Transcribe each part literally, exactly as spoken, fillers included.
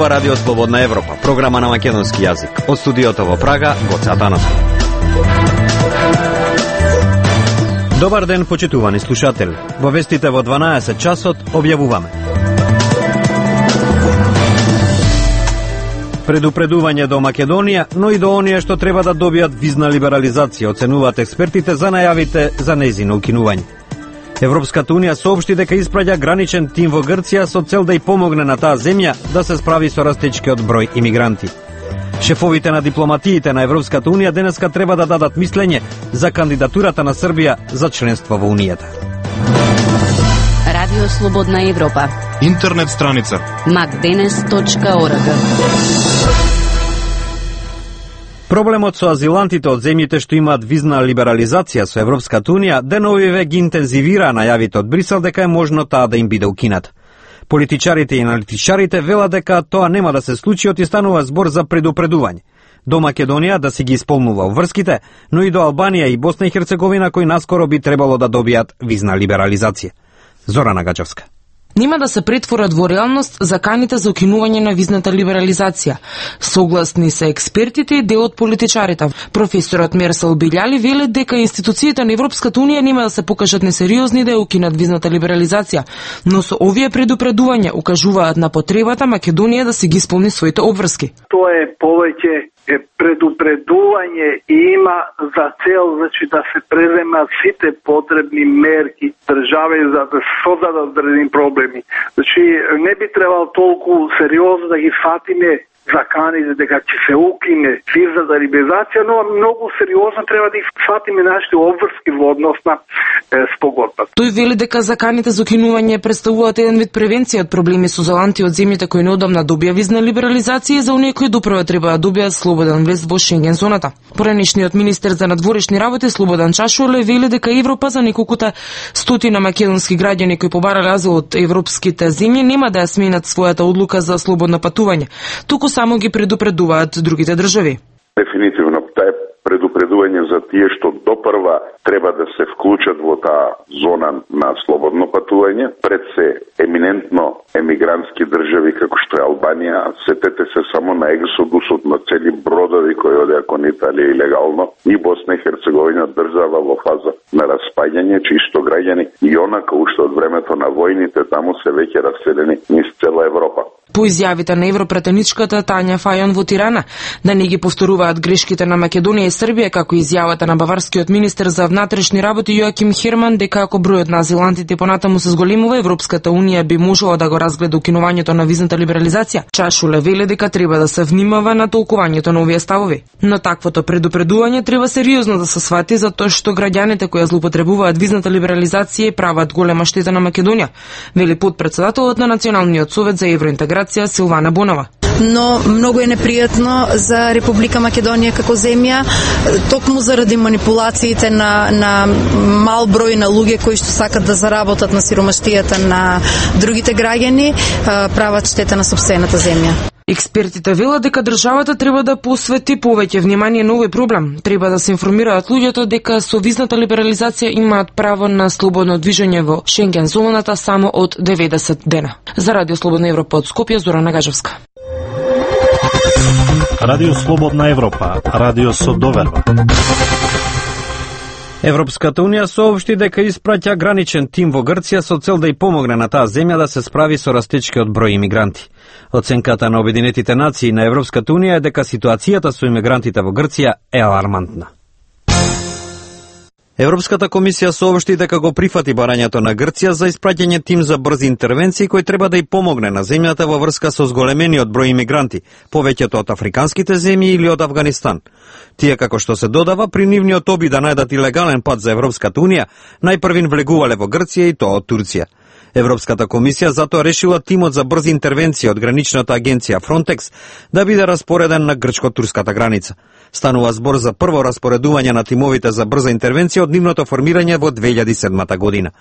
Ова Радио Слободна Европа, програма на македонски јазик. Од студиото во Прага, Гоце Атанасов. Добар ден, почитувани слушатели. Во вестите во дванаесет часот објавуваме. Предупредување до Македонија, но и до оние што треба да добијат визна либерализација, оценуваат експертите за најавите за нејзино укинување. Европската унија соопшти дека испраќа граничен тим во Грција со цел да ја помогне на таа земја да се справи со растечкиот број имигранти. Шефовите на дипломатиите на Европската унија денеска треба да дадат мислење за кандидатурата на Србија за членство во Унијата. Радио Слободна Европа. Интернет страница макденес точка орг. Проблемот со азилантите од земјите што имаат визна либерализација со Европската унија деновиве ги интензивира најавите од Брисел дека е можно таа да им биде укината. Политичарите и аналитичарите велат дека тоа нема да се случи, оти станува збор за предупредување. До Македонија да си ги исполнува врските, но и до Албанија и Босна и Херцеговина кои наскоро би требало да добијат визна либерализација. Зорана Гаџевска. Нема да се претворат во реалност заканите за укинување на визната либерализација. Согласни се експертите и дел од политичарите. Професорот Мерсел Билјали вели дека институциите на Европската унија нема да се покажат несериозни да ја укинат визната либерализација, но со овие предупредувања укажуваат на потребата Македонија да си ги исполни своите обврски. Тоа е повеќе е предупредување и има за цел, значи, да се преземат сите потребни мерки држави за да се создадат одредени проблеми. Значи, не би требало толку сериозно да ги фатиме заканите дека ќе се укине визната либерализација, но многу сериозно треба да ги фатиме нашите обврски во однос на спогодбата. Тој вели дека заканите за укинување представуваат еден вид превенција од проблеми со азиланти од земјите кои неодамна добија визна либерализација и за оние кои доправа треба да добијат слободен влез во Шенген зоната. Поранешниот министер за надворешни работи Слободан Чашуле вели дека Европа за неколкута стотина македонски граѓани кои побарале азил од европските земји нема да ја сменат својата одлука за слободно патување, туку само ги предупредуваат другите држави. Дефинитивно, таа е предупредување за тие што допрва треба да се вклучат во таа зона на слободно патување, пред се еминентно емигрантски држави како што е Албанија. Сетете се само на ексодусот на цели бродови кои одеа кон Италија илегално, и Босна и Херцеговина држава во фаза на распаѓање, чисто граѓани и онака уште од времето на војните таму се веќе раселени низ цела Европа. По изјавите на европретеничката Тања Фајон во Тирана, да не ги повторуваат грешките на Македонија и Србија, како изјавата на баварскиот министер за внатрешни работи Јоаким Херман, дека ако бројот на азилантите понатаму се зголемува, Европската унија би можела да го разгледа укинувањето на визната либерализација. Чашуле вели дека треба да се внимава на толкувањето на овие ставови. Но таквото предупредување треба сериозно да се свати, затоа што граѓаните кои злоупотребуваат визната либерализација прават голема штета на Македонија, вели потпредседателот на Националниот совет за евроинтеграција Силвана Бонова. Но многу е непријатно за Република Македонија како земја, токму заради манипулациите на, на мал број на луѓе кои што сакат да заработат на сиромаштијата на другите граѓани, прават штета на сопствената земја. Експертите велат дека државата треба да посвети повеќе внимание на овој проблем. Треба да се информираат луѓето дека со визната либерализација имаат право на слободно движење во Шенген зоната само од деветдесет дена. За Радио Слободна Европа од Скопје, Зорана Гаџевска. Радио Слободна Европа, радио со доверба. Европската унија соопшти дека испраќа граничен тим во Грција со цел да ја помогне на таа земја да се справи со растечкиот број имигранти. Оценката на Обединетите нации на Европската унија е дека ситуацијата со имигрантите во Грција е алармантна. Европската комисија соопшти дека го прифати барањето на Грција за испраќање тим за брзи интервенции кој треба да ја помогне на земјата во врска со зголемениот број имигранти, повеќето од африканските земји или од Авганистан. Тие, како што се додава, при нивниот обид да најдат илегален пат за Европската унија, најпрвин влегувале во Грција и тоа од Турција. Европската комисија затоа решила тимот за брзи интервенции од граничната агенција Frontex да биде распореден на грчко-турската граница. Станува збор за прво распоредување на тимовите за брза интервенција од нивното формирање во две илјади и седма година.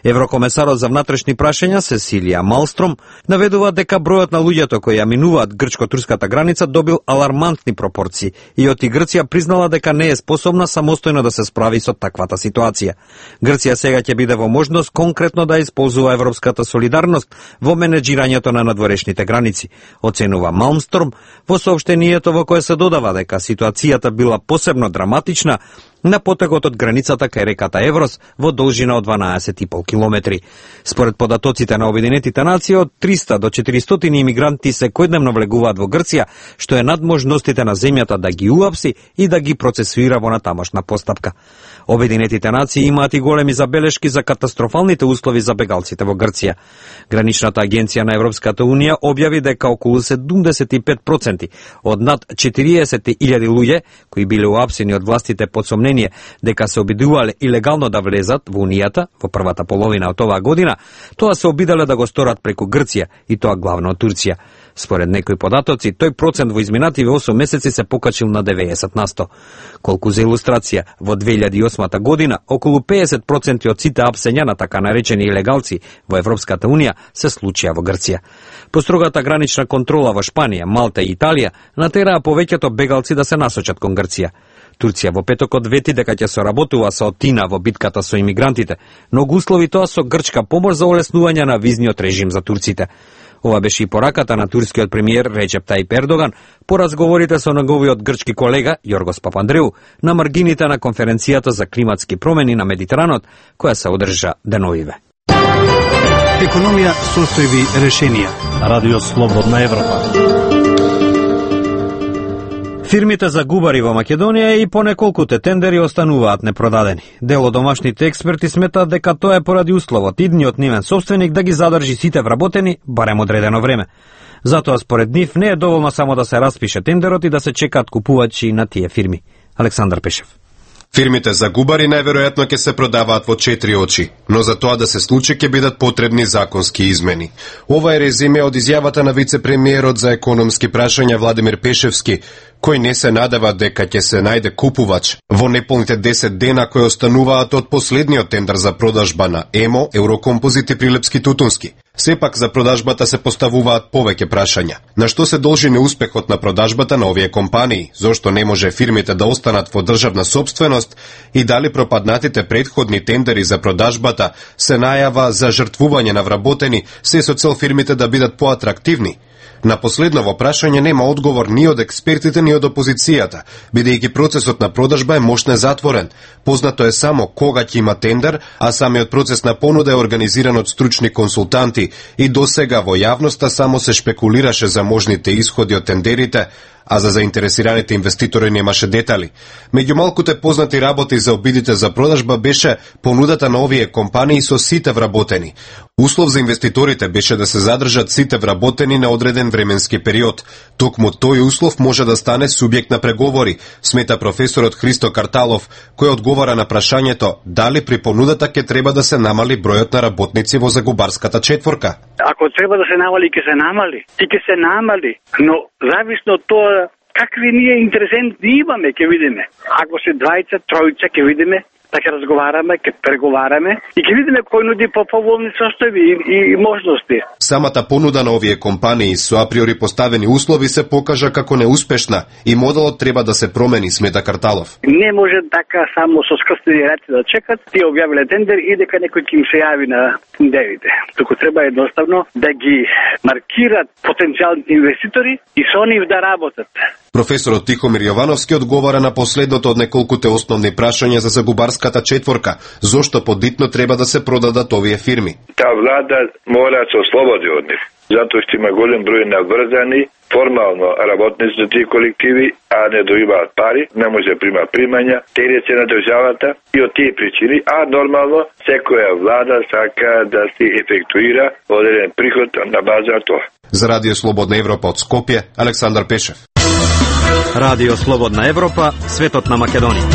Еврокомесарот за внатрешни прашања Сесилија Малстром наведува дека бројот на луѓето кои ја минуваат грчко-турската граница добил алармантни пропорции и оти Грција признала дека не е способна самостојно да се справи со таквата ситуација. Грција сега ќе биде во можност конкретно да исползува европската солидарност во менеджирањето на надворешните граници, оценува Малмстром во соопштението во кое се додава дека ситуацијата била посебно драматична на потегот од границата кај реката Еврос во должина од дванаесет и пол километри. Според податоците на Обединетите нации, од триста до четиристотини имигранти секојдневно влегуваат во Грција, што е над можностите на земјата да ги уапси и да ги процесуира во натамошна постапка. Обединетите нации имаат и големи забелешки за катастрофалните услови за бегалците во Грција. Граничната агенција на Европската унија објави дека околу седумдесет и пет проценти од над четириесет илјади луѓе кои биле уапсени од властите под сомнение дека се обидувале илегално да влезат во Унијата во првата половина од оваа година, тоа се обиделе да го сторат преку Грција и тоа главно од Турција. Според некои податоци, тој процент во изминативе осум месеци се покачил на деветдесет на сто. Колку за илустрација, во две илјади и осма година, околу педесет проценти од сите апсења на така наречени илегалци во Европската унија се случија во Грција. Построгата гранична контрола во Шпанија, Малта и Италија натераа повеќето бегалци да се насочат кон Грција. Турција во петокот вети дека ќе соработува со Атина во битката со имигрантите, но го услови тоа со грчка помош за олеснување на визниот режим за турците. Ова беше и пораката на турскиот премиер Реджеп Тајип Ердоган по разговорите со неговиот грчки колега Јоргос Папандреу на маргините на конференцијата за климатски промени на Медитеранот, која се одржа деновиве. Економија, состојби, решенија. Радио Слободна Европа. Фирмите за губари во Македонија и по неколкуте тендери остануваат непродадени. Дел од домашните експерти сметаат дека тоа е поради условот идниот нивен собственик да ги задржи сите вработени барем одредено време. Затоа според нив не е доволно само да се распише тендерот и да се чекаат купувачи на тие фирми. Александар Пешев. Фирмите за губари најверојатно ќе се продаваат во четири очи, но за тоа да се случи ќе бидат потребни законски измени. Ова е резиме од изјавата на вице-премиерот за економски прашања Владимир Пешевски, кој не се надева дека ќе се најде купувач во неполните десет дена кои остануваат од последниот тендер за продажба на ЕМО, Еврокомпозит и Прилепски Тутунски. Сепак за продажбата се поставуваат повеќе прашања. На што се должи неуспехот на продажбата на овие компании? Зошто не може фирмите да останат во државна собственост и дали пропаднатите претходни тендери за продажбата се најава за жртвување на вработени, се со цел фирмите да бидат поатрактивни? На последново прашање нема одговор ни од експертите ни од опозицијата, бидејќи процесот на продажба е мошне затворен. Познато е само кога ќе има тендер, а самиот процес на понуда е организиран од стручни консултанти и досега во јавноста само се шпекулираше за можните исходи од тендерите, а за заинтересираните инвеститори немаше детали. Меѓу малкуте познати работи за обидите за продажба беше понудата на овие компании со сите вработени. Услов за инвеститорите беше да се задржат сите вработени на одреден временски период. Токму тој услов може да стане субјект на преговори, смета професорот Христо Карталов, кој одговара на прашањето дали при понудата ќе треба да се намали бројот на работници во загубарската четворка. Ако треба да се намали, ќе се намали. И ќе се намали, но зависно од тоа какви ние интересенти имаме, ќе видиме. Ако се двајца, тројца, ќе видиме, да ќе разговараме, ќе преговараме и ќе видиме кој нуди по поволни состојби и, и, и можности. Самата понуда на овие компании со априори поставени услови се покажа како неуспешна и моделот треба да се промени, смета Карталов. Не може така само со скрстени раци да чекат, тие објавиле тендер и дека некој ќе им се јави на тендерите. Туку треба едноставно да ги маркират потенцијалните инвеститори и со нив да работат. Професорот Тихомир Јовановски одговара на последното од неколкуте основни прашања за загубарската четворка, зошто подитно треба да се продадат овие фирми. Та влада мора да се ослободи од нив, затоа што има голем број наврзани формално работници за тие колективи, а не добиваат пари, не може да прима примања, терет се на државата и од тие причини, а нормално секоја влада сака да се ефектуира одреден приход на база на тоа. За Радио Слободна Европа од Скопје, Александар Пешев. Радио Слободна Европа, светот на Македонија.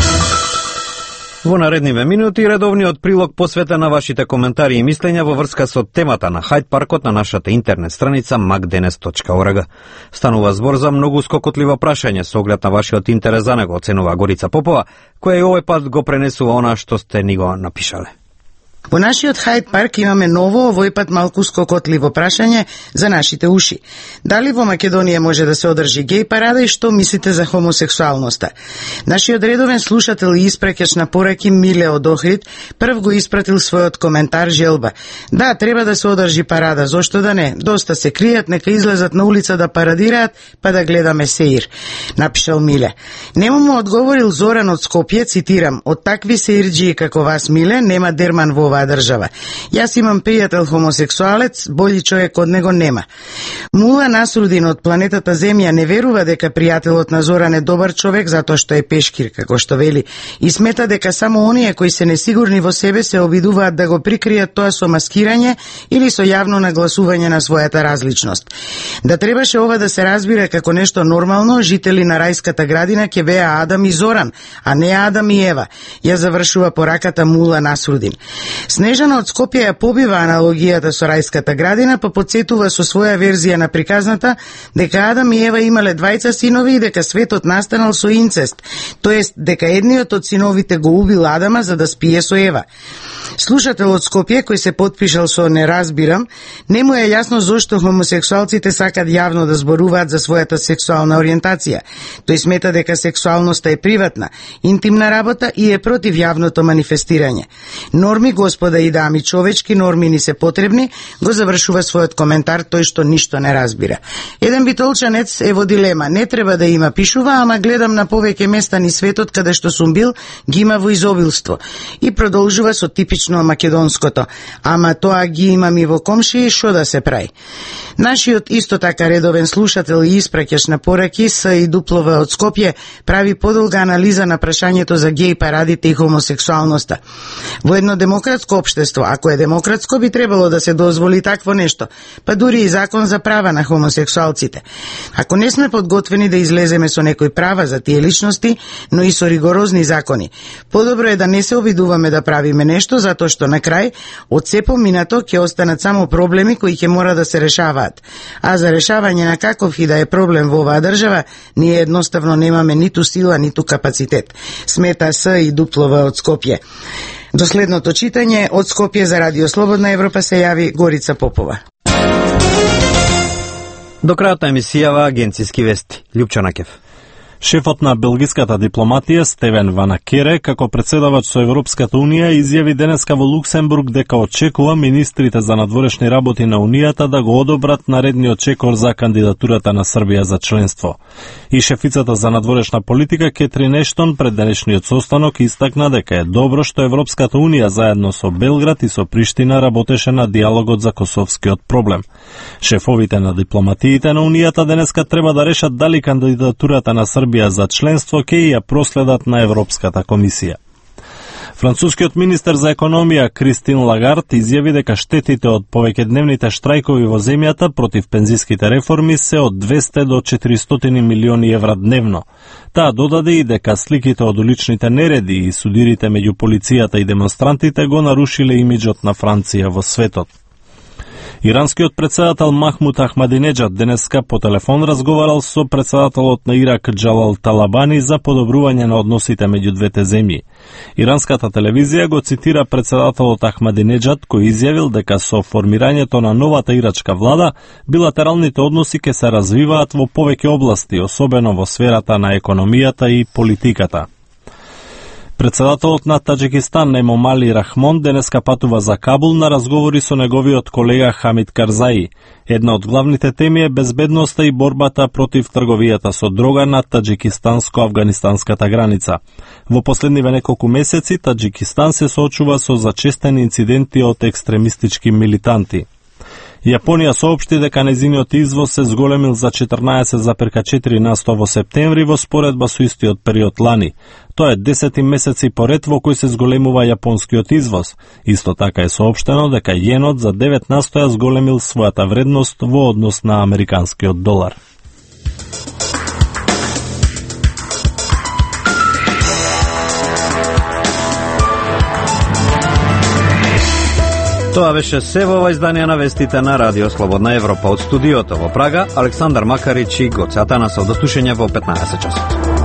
Во наредниве минути редовниот прилог посветен на вашите коментари и мислења во врска со темата на Хајд паркот на нашата интернет страница мак денес точка орг. Станува збор за многу скокотливо прашање со оглед на вашиот интерес за него, оценува Горица Попова, која и овој пат го пренесува она што сте ни го напишале. Во нашиот Хајд парк имаме ново, овој пат малку скокотливо прашање за нашите уши. Дали во Македонија може да се одржи геј парада и што мислите за хомосексуалноста? Нашиот редовен слушател и испраќач на пораки Миле од Охрид прв го испратил својот коментар желба. Да, треба да се одржи парада, зошто да не? Доста се кријат, нека излезат на улица да парадираат, па да гледаме сеир, напишал Миле. Нему му одговорил Зоран од Скопје, цитирам: од такви сеирџии како вас, Миле, нема дерман во оваа држава. Јас имам пријател хомосексуалец, бољи човек од него нема. Мула Насрудин од планетата Земја не верува дека пријателот на Зоран е добар човек затоа што е пешкир, како што вели, и смета дека само оние кои се несигурни во себе се обидуваат да го прикријат тоа со маскирање или со јавно нагласување на својата различност. Да требаше ова да се разбира како нешто нормално, жители на рајската градина ќе беа Адам и Зоран, а не Адам и Ева, ја завршува пораката Мула Насрудин. Снежана од Скопје ја побива аналогијата со рајската градина, па подсетува со своја верзија на приказната дека Адам и Ева имале двајца синови и дека светот настанал со инцест, тоест дека едниот од синовите го убил Адама за да спие со Ева. Слушател од Скопје, кој се потпишал со "не разбирам", не му е јасно зошто хомосексуалците сакат јавно да зборуваат за својата сексуална ориентација. Тој смета дека сексуалноста е приватна, интимна работа и е против јавното манифестирање. Норми, господа и дами, човечки норми ни се потребни, го завршува својот коментар тој што ништо не разбира. Еден битолчанец е во дилема, не треба да има, пишува, ама гледам на повеќе места ни светот каде што сум бил, ги има во изобилство. И продолжува со типично македонското, ама тоа ги имам и во комшии, шо да се прави. Нашиот исто така редовен слушател и испраќач на пораки С и Дуплова од Скопје прави подолга анализа на прашањето за геј парадите и хомосексуалноста. Во едно демократско општество, ако е демократско, би требало да се дозволи такво нешто, па дури и закон за права на хомосексуалците. Ако не сме подготвени да излеземе со некои права за тие личности, но и со ригорозни закони, подобро е да не се обидуваме да правиме нешто, затоа што на крај, од се поминато, ќе останат само проблеми кои ќе мора да се решаваат. А за решавање на каков и да е проблем во оваа држава, ние едноставно немаме ниту сила, ниту капацитет. Смета С и Дуплова од Скопје. До следното читање од Скопје за Радио Слободна Европа се јави Горица Попова. До крајот на емисијава агенциски вести. Лјупчо Накев. Шефот на белгиската дипломатија Стевен Ванакере, како председавач со Европската Унија, изјави денеска во Луксембург дека очекува министрите за надворешни работи на Унијата да го одобрат наредниот чекор за кандидатурата на Србија за членство. И шефицата за надворешна политика Кетрин Ештон пред денешниот состанок истакна дека е добро што Европската Унија заедно со Белград и со Приштина работеше на диалогот за косовскиот проблем. Шефовите на дипломатиите на Унијата денеска треба да решат дали кандидатурата на Србија за членство ќе ја проследат на Европската комисија. Францускиот министер за економија Кристин Лагард изјави дека штетите од повеќедневните штрајкови во земјата против пензиските реформи се од двесте до четиристотини милиони евра дневно. Таа додаде и дека сликите од уличните нереди и судирите меѓу полицијата и демонстрантите го нарушиле имиџот на Франција во светот. Иранскиот председател Махмуд Ахмадинеджад денеска по телефон разговарал со председателот на Ирак Џалал Талабани за подобрување на односите меѓу двете земји. Иранската телевизија го цитира председателот Ахмадинеджад, кој изјавил дека со формирањето на новата ирачка влада, билатералните односи ќе се развиваат во повеќе области, особено во сферата на економијата и политиката. Председателот на Таџикистан Емомали Рахмон денеска патува за Кабул на разговори со неговиот колега Хамид Карзаи. Една од главните теми е безбедноста и борбата против трговијата со дрога на таџикистанско-афганистанската граница. Во последниве неколку месеци Таџикистан се соочува со зачестени инциденти од екстремистички милитанти. Јапонија соопшти дека незиниот извоз се зголемил за четрнаесет зарез четири на сто во септември во споредба со истиот период лани. Тоа е десети месеци поред во кој се зголемува јапонскиот извоз. Исто така е соопштено дека јенот за девет на сто ја зголемил својата вредност во однос на американскиот долар. Тоа беше се во ова издание на вестите на Радио Слободна Европа. Од студиото во Прага, Александар Макарич и Гоце Атанасов. До слушање во петнаесет часот.